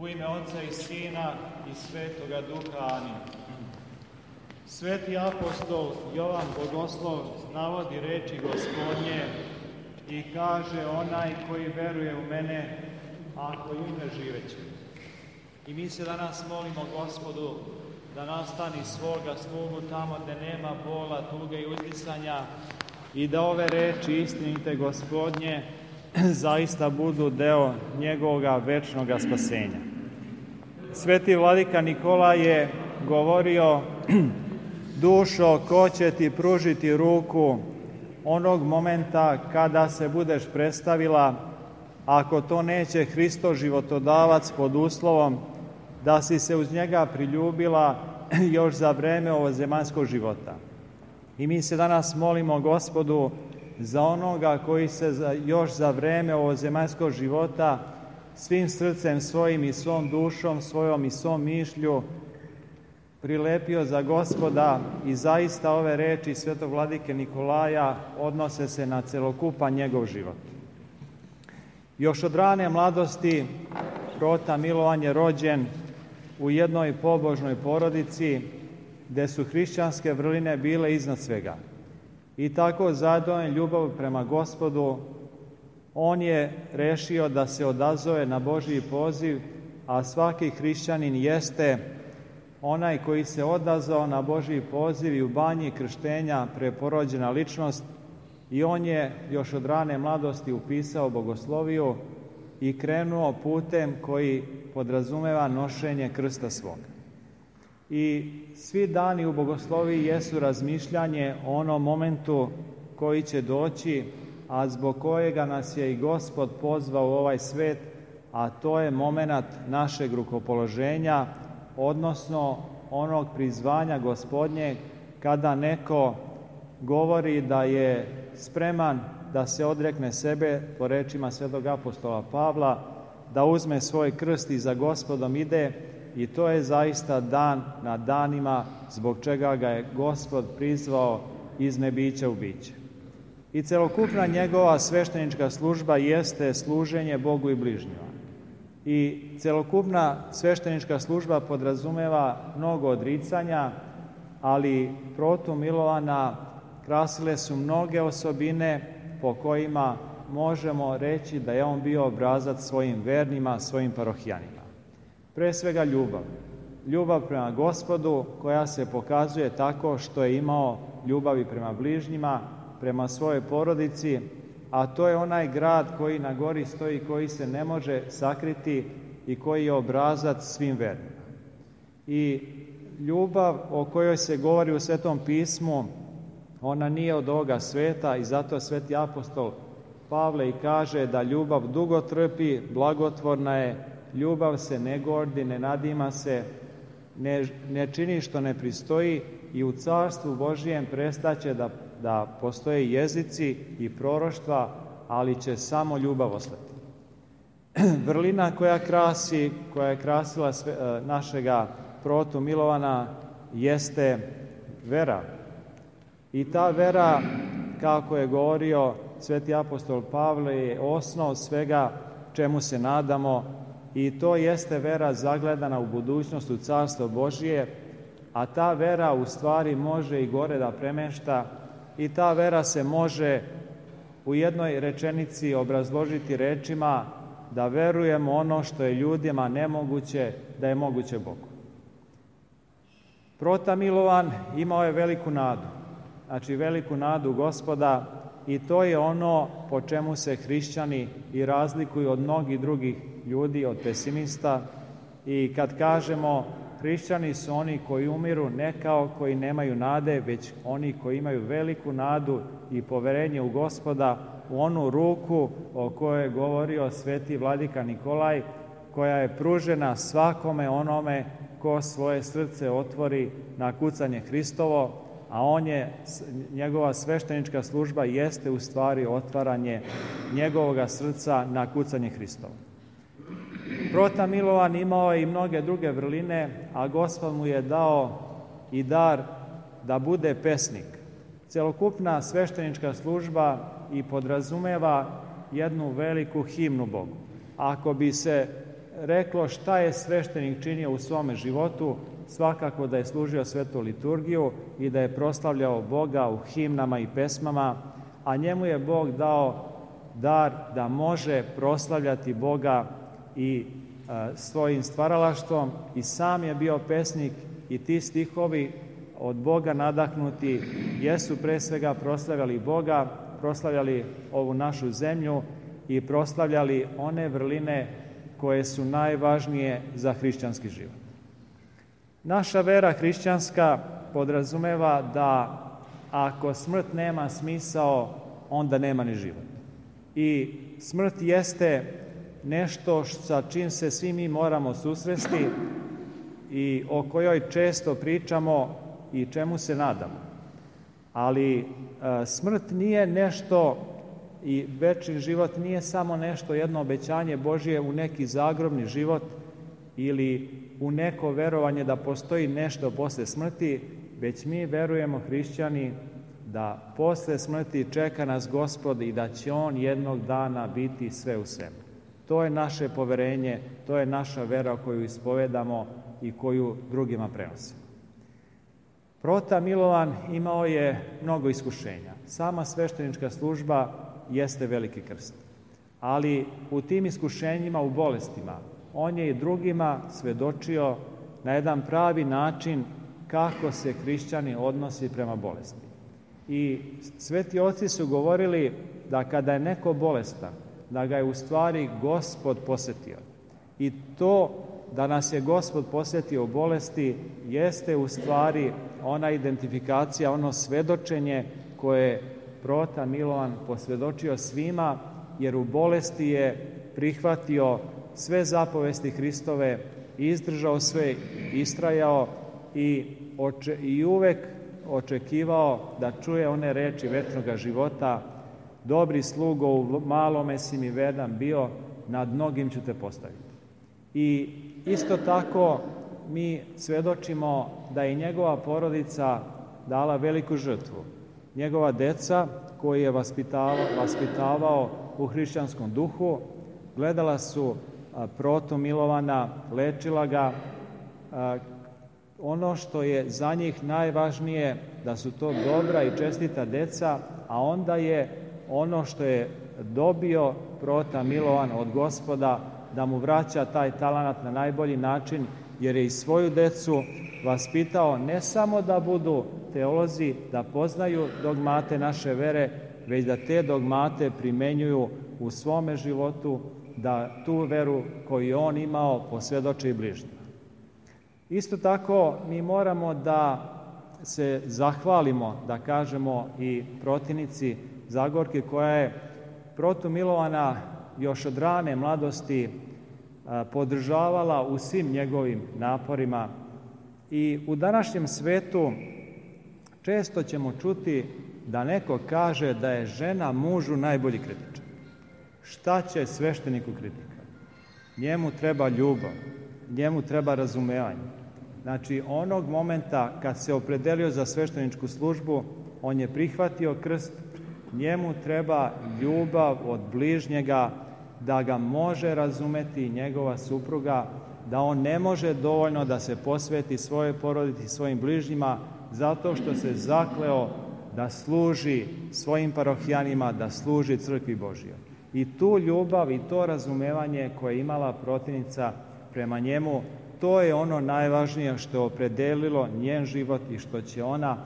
U ime Otca i Sina i Svetoga Duha. Amin. Sveti apostol Jovan Bogoslov navodi reči Gospodnje i kaže: onaj koji veruje u mene, ako umre, živeće. I mi se danas molimo Gospodu da nastani svoga slugu tamo gde nema bola, tuge i uzdisanja i da ove reči istinite Gospodnje zaista budu deo njegovoga večnoga spasenja. Sveti vladika Nikolaj je govorio: dušo, ko će ti pružiti ruku onog momenta kada se budeš predstavila, ako to neće Hristo životodavac, pod uslovom da si se uz njega priljubila još za vreme ovozemaljskog života. I mi se danas molimo Gospodu za onoga koji se još za vreme ovozemaljskog života svim srcem svojim i svom dušom svojom i svom mišlju prilepio za Gospoda, i zaista ove reči svetog vladike Nikolaja odnose se na celokupan njegov život. Još od rane mladosti Prota Milovan je rođen u jednoj pobožnoj porodici gde su hrišćanske vrline bile iznad svega. I tako zadovoljan ljubav prema Gospodu, on je rešio da se odazove na Božji poziv, a svaki hrišćanin jeste onaj koji se odazvao na Božji poziv i u banji krštenja preporođena ličnost, i on je još od rane mladosti upisao bogosloviju i krenuo putem koji podrazumeva nošenje krsta svoga. I svi dani u bogosloviji jesu razmišljanje o onom momentu koji će doći, a zbog kojega nas je i Gospod pozvao u ovaj svet, a to je momenat našeg rukopoloženja, odnosno onog prizvanja Gospodnjeg, kada neko govori da je spreman da se odrekne sebe, po rečima svetog apostola Pavla, da uzme svoj krst i za Gospodom ide, i to je zaista dan na danima zbog čega ga je Gospod prizvao iz nebića u biće. I celokupna njegova sveštenička služba jeste služenje Bogu i bližnjima. I celokupna sveštenička služba podrazumeva mnogo odricanja, ali Protu Milovana krasile su mnoge osobine po kojima možemo reći da je on bio obrazac svojim vernima, svojim parohijanima. Pre svega ljubav. Ljubav prema Gospodu, koja se pokazuje tako što je imao ljubavi prema bližnjima, prema svojoj porodici, a to je onaj grad koji na gori stoji, koji se ne može sakriti i koji je obrazac svim vernima. I ljubav o kojoj se govori u Svetom pismu, ona nije od ovoga sveta, i zato sveti apostol Pavle i kaže da ljubav dugo trpi, blagotvorna je, ljubav se ne gordi, ne nadima se, ne čini što ne pristoji, i u carstvu Božijem prestaće da postoje jezici i proroštva, ali će samo ljubav ostati. Vrlina koja je krasila našega Protu Milovana jeste vera. I ta vera, kako je govorio sveti apostol Pavle, je osnov svega čemu se nadamo, i to jeste vera zagledana u budućnost, u carstvo Božije, a ta vera u stvari može i gore da premešta, i ta vera se može u jednoj rečenici obrazložiti rečima da verujemo ono što je ljudima nemoguće, da je moguće Bogu. Prota Milovan imao je veliku nadu, znači veliku nadu Gospoda, i to je ono po čemu se hrišćani i razlikuju od mnogih drugih ljudi, od pesimista. I kad kažemo hrišćani su oni koji umiru, ne kao koji nemaju nade, već oni koji imaju veliku nadu i poverenje u Gospoda, u onu ruku o kojoj je govorio sveti vladika Nikolaj, koja je pružena svakome onome ko svoje srce otvori na kucanje Hristovo, a njegova sveštenička služba jeste u stvari otvaranje njegovoga srca na kucanje Hristovo. Prota Milovan imao je i mnoge druge vrline, a Gospod mu je dao i dar da bude pesnik. Celokupna sveštenička služba i podrazumeva jednu veliku himnu Bogu. Ako bi se reklo šta je sveštenik činio u svome životu, svakako da je služio svetu liturgiju i da je proslavljao Boga u himnama i pesmama, a njemu je Bog dao dar da može proslavljati Boga i svojim stvaralaštvom, i sam je bio pesnik, i ti stihovi od Boga nadahnuti jesu pre svega proslavljali Boga, proslavljali ovu našu zemlju i proslavljali one vrline koje su najvažnije za hrišćanski život. Naša vera hrišćanska podrazumeva da ako smrt nema smisao, onda nema ni život. I smrt jeste nešto sa čim se svi mi moramo susresti i o kojoj često pričamo i čemu se nadamo. Ali smrt nije nešto, i večni život nije samo nešto, jedno obećanje Božje u neki zagrobni život ili u neko verovanje da postoji nešto posle smrti, već mi verujemo, hrišćani, da posle smrti čeka nas Gospod i da će On jednog dana biti sve u svemu. To je naše poverenje, to je naša vera koju ispovedamo i koju drugima prenosimo. Prota Milovan imao je mnogo iskušenja. Sama sveštenička služba jeste veliki krst. Ali u tim iskušenjima, u bolestima, on je i drugima svedočio na jedan pravi način kako se hrišćani odnosi prema bolesti. I sveti oci su govorili da kada je neko bolestan, da ga je u stvari Gospod posetio. I to da nas je Gospod posetio u bolesti jeste u stvari ona identifikacija, ono svedočenje koje je Prota Milovan posvedočio svima, jer u bolesti je prihvatio sve zapovesti Hristove, izdržao sve, istrajao i uvek očekivao da čuje one reči večnoga života: dobri slugo, u malome si mi verdan bio, nad mnogim ću te postaviti. I isto tako mi svedočimo da je njegova porodica dala veliku žrtvu. Njegova deca, koji je vaspitavao u hrišćanskom duhu, gledala su Protu Milovana, lečila ga. Ono što je za njih najvažnije, da su to dobra i čestita deca, a onda je ono što je dobio Prota Milovan od Gospoda, da mu vraća taj talenat na najbolji način, jer je i svoju decu vaspitao ne samo da budu teolozi, da poznaju dogmate naše vere, već da te dogmate primenjuju u svome životu, da tu veru koju je on imao posvedoče i bližnjima. Isto tako mi moramo da se zahvalimo, da kažemo i protinici Zagorke, koja je Protu Milovana još od rane mladosti podržavala u svim njegovim naporima. I u današnjem svetu često ćemo čuti da neko kaže da je žena mužu najbolji kritičar. Šta će svešteniku kritika? Njemu treba ljubav, njemu treba razumevanje. Znači, onog momenta kad se opredelio za svešteničku službu, on je prihvatio krst, njemu treba ljubav od bližnjega, da ga može razumeti njegova supruga, da on ne može dovoljno da se posveti svojoj porodici, svojim bližnjima, zato što se zakleo da služi svojim parohijanima, da služi crkvi Božjoj. I tu ljubav i to razumevanje koje je imala protivnica prema njemu, to je ono najvažnije što je opredelilo njen život i što će ona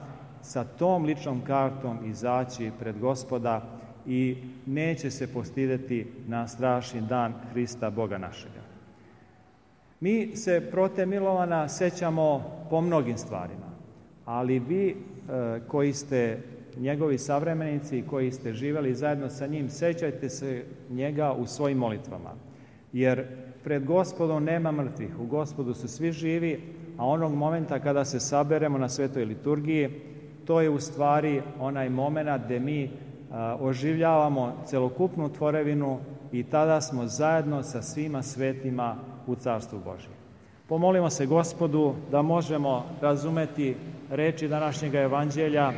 sa tom ličnom kartom izaći pred Gospoda i neće se postideti na strašni dan Hrista Boga našega. Mi se Prote Milovana sećamo po mnogim stvarima, ali vi koji ste njegovi savremenici, koji ste živeli zajedno sa njim, sećajte se njega u svojim molitvama. Jer pred Gospodom nema mrtvih, u Gospodu su svi živi, a onog momenta kada se saberemo na svetoj liturgiji, to je u stvari onaj moment gde mi oživljavamo celokupnu tvorevinu i tada smo zajedno sa svima svetima u Carstvu Božjem. Pomolimo se Gospodu da možemo razumeti reči današnjega evanđelja,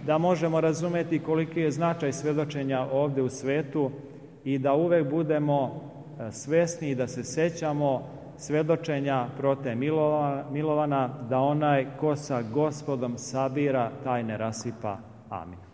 da možemo razumeti koliki je značaj svedočenja ovde u svetu i da uvek budemo svesni i da se sećamo svedočenja prote Milovana, da onaj ko sa Gospodom sabira, taj ne rasipa. Amin.